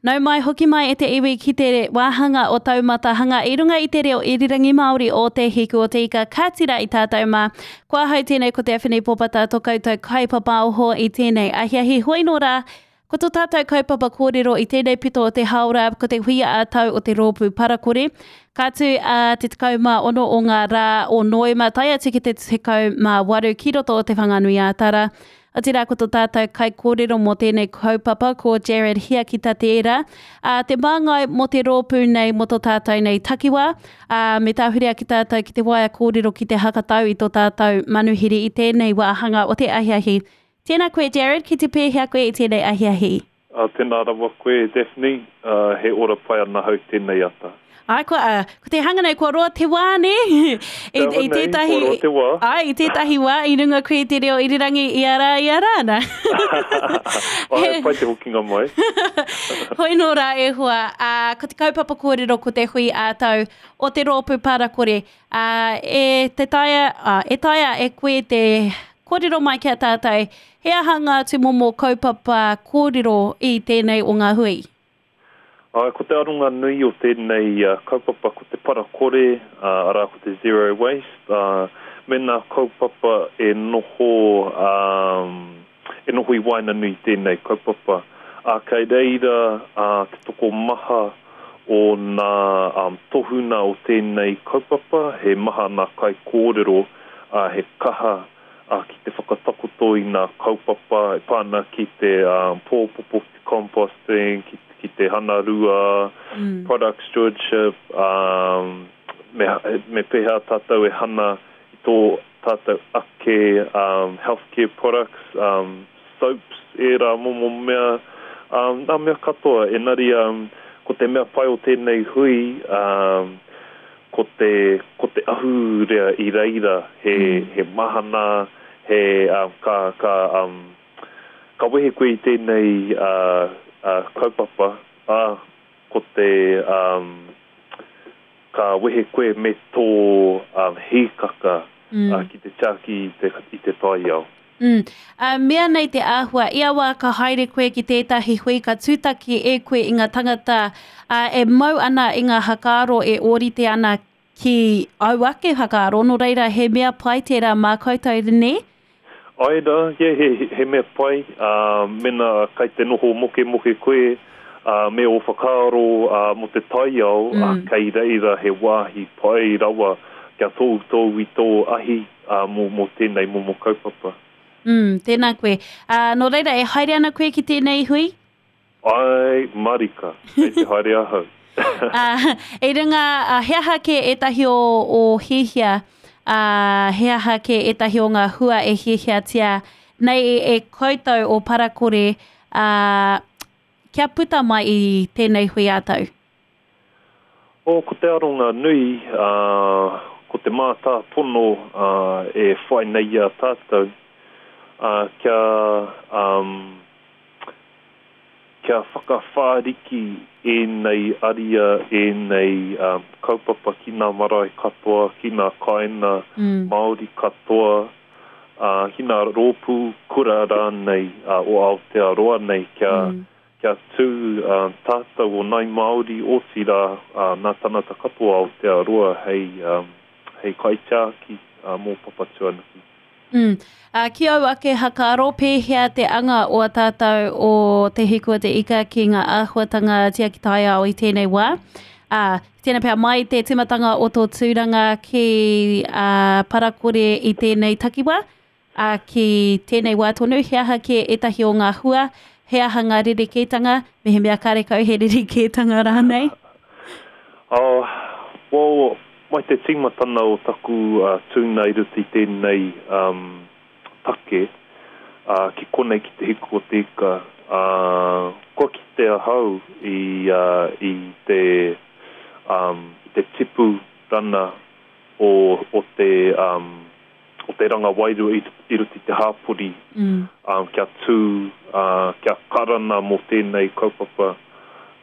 Nau mai hoki mai e te iwi ki te wāhanga o Taumata Hanga i runga i te reo irirangi Māori o Te Hiku o Te Ika ka tira i tātou mā. Ko ahau tēnei ko Te Awhini Popata to koutou kaipapaoho i tēnei ahiahi hoi nō rā. Ko to tātou kaupapa kōrero i tēnei pito o te hāora ko te huia ā-tau o te rōpū parakore. Ka tū a te 16 o ngā rā o Noema tae atu ki te 18 ki roto o Te Whanganui-ā-Tara. Otirā ko tō tātou kaikōrero mō tēnei kaupapa ko Jared Hiakita tērā, ā, te māngai mō te rōpū nei mō tō tātou nei takiwā, ā, me tāhuri ake tātou ki te waea kōrero ki te hakatau i tō tātou manuhiri i tēnei wāhanga o te ahiahi. Tēnā koe Jared, ki te pēhea koe i tēnei ahiahi? Ā, tēnā rawa koe, Daphne, ā, he ora pai ana hau tēnei ata. Āe, kua, ā, ko te hanga nei, kua roa te wā, nē? I, i tētahi, kua roa te wā. Āe, i tētahi wā, i runga koe i te reo irirangi ia rā, ia rā, nā. Āe, pai te hokinga mai. Hoi nō rā e hoa, ā, ko te kaupapa kōrero ko te hui ā-tau o te rōpū parakore, ā, e te taea, ā, e taea e koe te kōrero mai ki a tātou, he aha ngā tūmomo kaupapa kōrero i tēnei o ngā hui? Āe, ko te aronga nui o tēnei kaupapa ko te para kore, arā ko te zero waste, ā, me ngā kaupapa e noho, ā, e noho i waenganui i tēnei kaupapa. Ā, kei reira te tokomaha o ngā tohuna o tēnei kaupapa, he maha ngā kaikōrero, ā, he kaha ā, ki te whakatakoto i ngā kaupapa e pā ana ki te pōpopo, ki te composting, ki, ki te hanarua, product stewardship, ā, me, me pēhea tātou e hana i tō tātou ake healthcare products, soaps, ērā momo mea, ā, ngā mea katoa. Engari, ko te mea pai o tēnei hui, ā, ko te, ko te ahurea i reira, he, he mahana, he, ā, ka, ka, ā, ka wehe koe i tēnei, ā, ā, kaupapa, ā, ko te, ā, ka wehe koe me tō, ā, hīkaka, ā, ki te tiaki i te, i te taiao. Mm. Ā, mea nei te āhua, ia wā ka haere koe ki tētahi hui ka tūtaki e koe i ngā tangata, ā, e mau ana i ngā hakaaro e ōrite ana ki āu ake hakaaro, nō reira he mea pai tērā mā koutou, nē? Āe rā, yeah, he, he mea pai, ā, mēnā kai te noho mokemoke koe, ā, me ō whakaaro, ā, mō te taiao, ā, kei reira he wāhi pai rawa kia tōutōu i tō ahi, ā, mō, mō tēnei momo kaupapa. Mm, tēnā koe. Ā, nō reira, e haere ana koe ki tēnei hui? Āe marika, kei te haere ahau. Ā, i runga, ā, he aha kē ētahi o ō hiahia, ā, he aha kē ētahi o ngā hua e hiahiatia nei e koutou o Parakore, ā, kia puta mai i tēnei hui ā-tau? Oh, ko te aronga nui, ā, ko te mātāpono, ā, e whai nei i a tātou, ā, kia, ā, kia whakawhāriki ēnei aria, ēnei, ā, kaupapa ki ngā marae katoa, ki ngā kāinga Māori katoa, ā, ki ngā rōpū kura rānei, ā, o Aotearoa nei, kia, Kia tū tātou o Nai Māori, otirā nā tangata katoa Aotearoa hei, hei kaitiaki mō Papatūānuku. Mm. Ā, ki au ake hakaaro, pēhea te anga o a tātou o Te Hiku o Te Ika ki ngā āhuatanga tiaki taiao i tēnei wā? Ā, tēnā pea mai te tīmatanga o tō tūranga ki ā, Parakore i tēnei takiwā, Ā, ki tēnei wā tonu, he aha kē ētahi o ngā hua, he aha ngā rerekētanga, mehemea karekau he rerekētanga rānei? Ā, well, mai te tīmatana o taku tūnga i roto i tēnei take, ā, ki konei ki Te Hiku o Te Ika, ā, kua kite ahau i, i te, i te tipu rana o, o te, o te ranga wairua i, i roto i te hāpori, mm. um, kia tū, uh, kia karana mō tēnei kaupapa.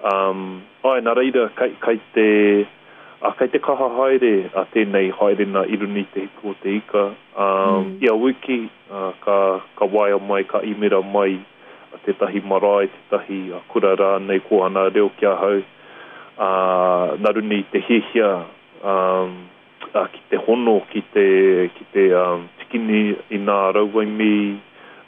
Um, ai, nā reira, kei, kei te, uh, kei te kaha haere a tēnei haerena i runga i te hiku o te ika. Um, mm. Ia wiki, uh, ka, ka waea mai, ka imera mai tētahi marae, tētahi kura rānei kōhanga reo ki ahau, ā, nā runga i te hiahia ki te hono, ki te, ki te tikini i nā rauemi,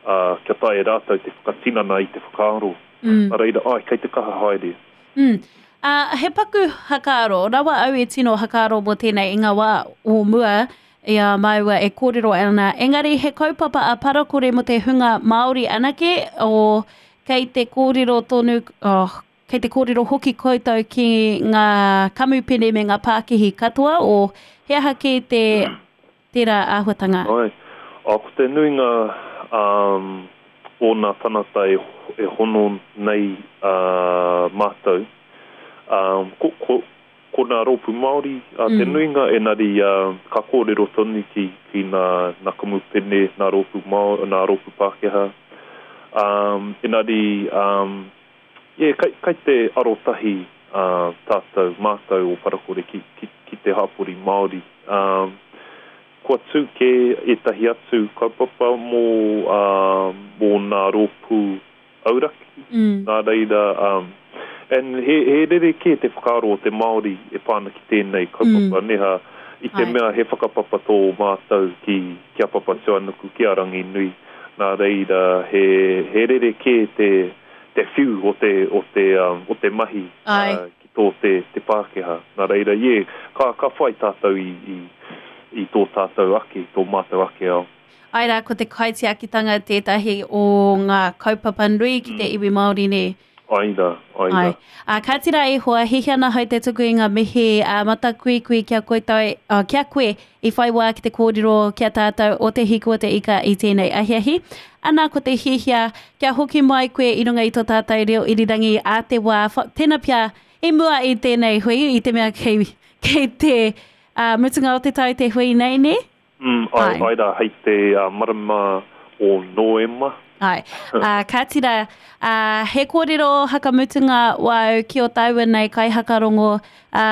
ā, kia taea e rātou te whakatinana i te whakaaro. Nā reira, āe, kei te kaha haere. Mm. Ā, he paku hakaaro, rawa au e tino hakaaro mō tēnei i ngā wā o mua i a māua e kōrero ana, engari he kaupapa a Parakore mō te hunga Māori anake, o, kei te kōrero tonu, oh, kei te kōrero hoki koutou ki ngā kamupene me ngā pākihi katoa, o, he aha kē te, tērā āhuatanga? Āe. Ā, ko te nuinga o nā tanata e, e hono nei ā, mātou, ā, ko, ko, ko nā rōpū Māori ā, te nuinga, engari ā, ka kōrero tonu ki, ki nā, nā kamupene, nā rōpū Māori, nā rōpū Pākehā. Ā, engari, ā, yeah, kei, kei te arotahi ā, tātou, mātou o Parakore ki, ki, ki te hapori Māori. Ā, kua tū kē ētahi atu kaupapa mō, ā, mō nā rōpū auraki, nā reira, ā, and he, he rerekē te whakaaro o te Māori e pā ana ki tēnei kaupapa, nē hā, i te mea he whakapapa tō mātou ki, ki a Papatūānuku, ki a Ranginui, nā reira, he, he rerekē te, te whiu o te, o te, o te mahi ki tō te, te Pākehā. Nā reira, yeah, ka, ka whai tātou i, i, i tō tātou ake, i tō mātou ake ao. Āe rā, ko te kaitiakitanga tētahi o ngā kaupapa nui ki te iwi Māori, nē? Āe rā, āe rā. Āe. Ā, kāti rā e hoa, hiahia ana ahau te tuku i ngā mihi ā matakuikui ki a koutou, ā, ki a koe i whai wā ki te kōrero ki a tātou o Te Hiku o te Ika i tēnei ahiahi. Ana, ko te hiahia kia hoki mai koe i runga i tō tātou reo irirangi ā te wā, tēnā pea i mua i tēnei hui, i te mea kei, kei te ā, mutunga o te tau te hui nei, nē? Mm, ai, ai. Ai rā, hei te marama o Noema. Ai. Ā, kāti rā, ā, he kōrero hakamutunga wāu ki o tāua nei kaihakarongo, ā,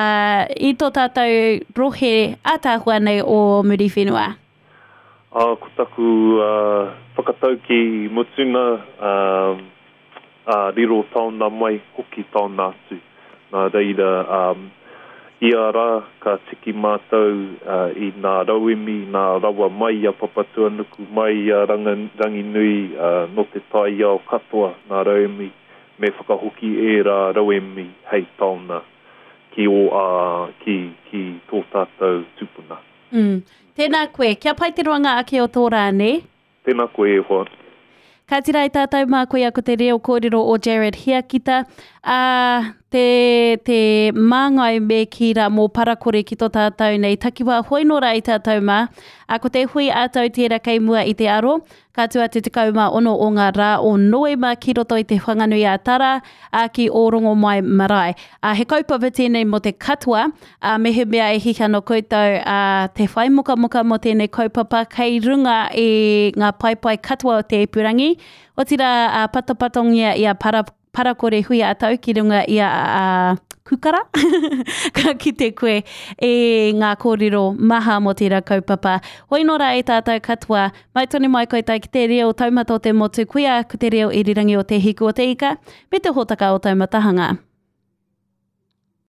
i tō tātou rohe ātaahua nei o Muriwhenua. Ā, ko taku whakataukī mutunga, ā, ā, riro taona mai, hoki taona atu. Nā reira, ā, ia rā ka tiki mātou i nā rauemi, nā rawa mai i a Papatuanuku, mai i a Ranginui, ā, nō te taiao katoa nā rauemi, me whakahoki ērā rauemi hei taona ki ō, ā, ki, ki tō tātou tupuna. Mm. Tēnā koe. Kia pai te roanga ake o tō rā, nē? Tēnā koe e hoa. Ka tira i tātou mā koia ko te reo kōrero o Jared Hiakita, ā, te, te māngai me kī rā mō Parakore ki tō tātou nei takiwā hoi nō rā i tātou mā. Ā, ko te hui ā-tau tērā kei mua i te aro, Ka tū atu 16 o ngā rā o Noema ki roto i Te Whanganui-a-Tara, ā, ki Ōrongomai Marae. Ā, he kaupapa tēnei mō te katoa, ā, mehemea e hihi ana koutou, ā, te whai mokamoka mō tēnei kaupapa kei runga i ngā paepae katoa o te ipurangi, otirā, ā, patopatongia i a Para, parakore hui ā-tau ki runga i a, a Kukara, ka kite koe i ngā kōrero maha mō tērā kaupapa. Hoi nō rā e tātou katoa, mai tonu mai koutou ki te reo taumata o te motu, koia ko te reo irirangi o Te Hiku o te Ika, me te hōtaka o Taumatahanga.